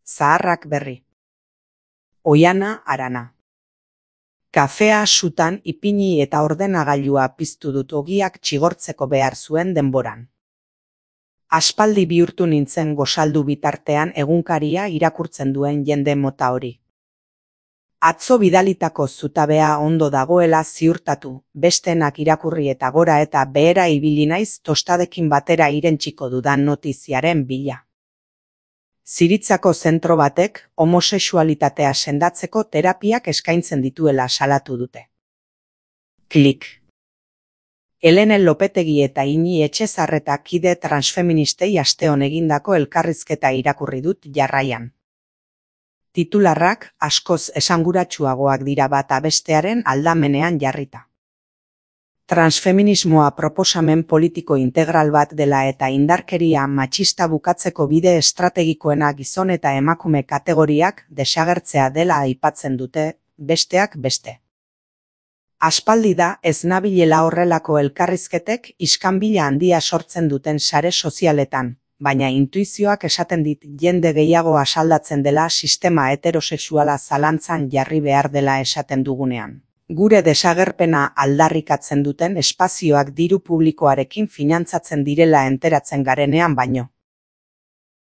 zaharrak berri. Oiana Arana. Kafea sutan ipini eta ordenagailua piztu dut ogiak txigortzeko behar zuen denboran. Aspaldi bihurtu nintzen gosaldu bitartean egunkaria irakurtzen duen jende mota hori. Atzo bidalitako zutabea ondo dagoela ziurtatu, besteenak irakurri eta gora eta behera ibili naiz tostadekin batera irentsiko dudan notiziaren bila. Ziritzako zentro batek homosexualitatea sendatzeko terapiak eskaintzen dituela salatu dute. Klik. Helene Lopetegi eta Ini Etxezarreta kide transfeministei asteon egindako elkarrizketa irakurri dut jarraian. Titularrak askoz esanguratsuagoak dira bata bestearen aldamenean jarrita. Transfeminismoa proposamen politiko integral bat dela eta indarkeria matxista bukatzeko bide estrategikoena gizon eta emakume kategoriak desagertzea dela aipatzen dute, besteak beste. Aspaldi da ez nabilela horrelako elkarrizketek iskanbila handia sortzen duten sare sozialetan, baina intuizioak esaten dit jende gehiago asaldatzen dela sistema heterosexuala zalantzan jarri behar dela esaten dugunean. Gure desagerpena aldarrikatzen duten espazioak diru publikoarekin finantzatzen direla enteratzen garenean baino.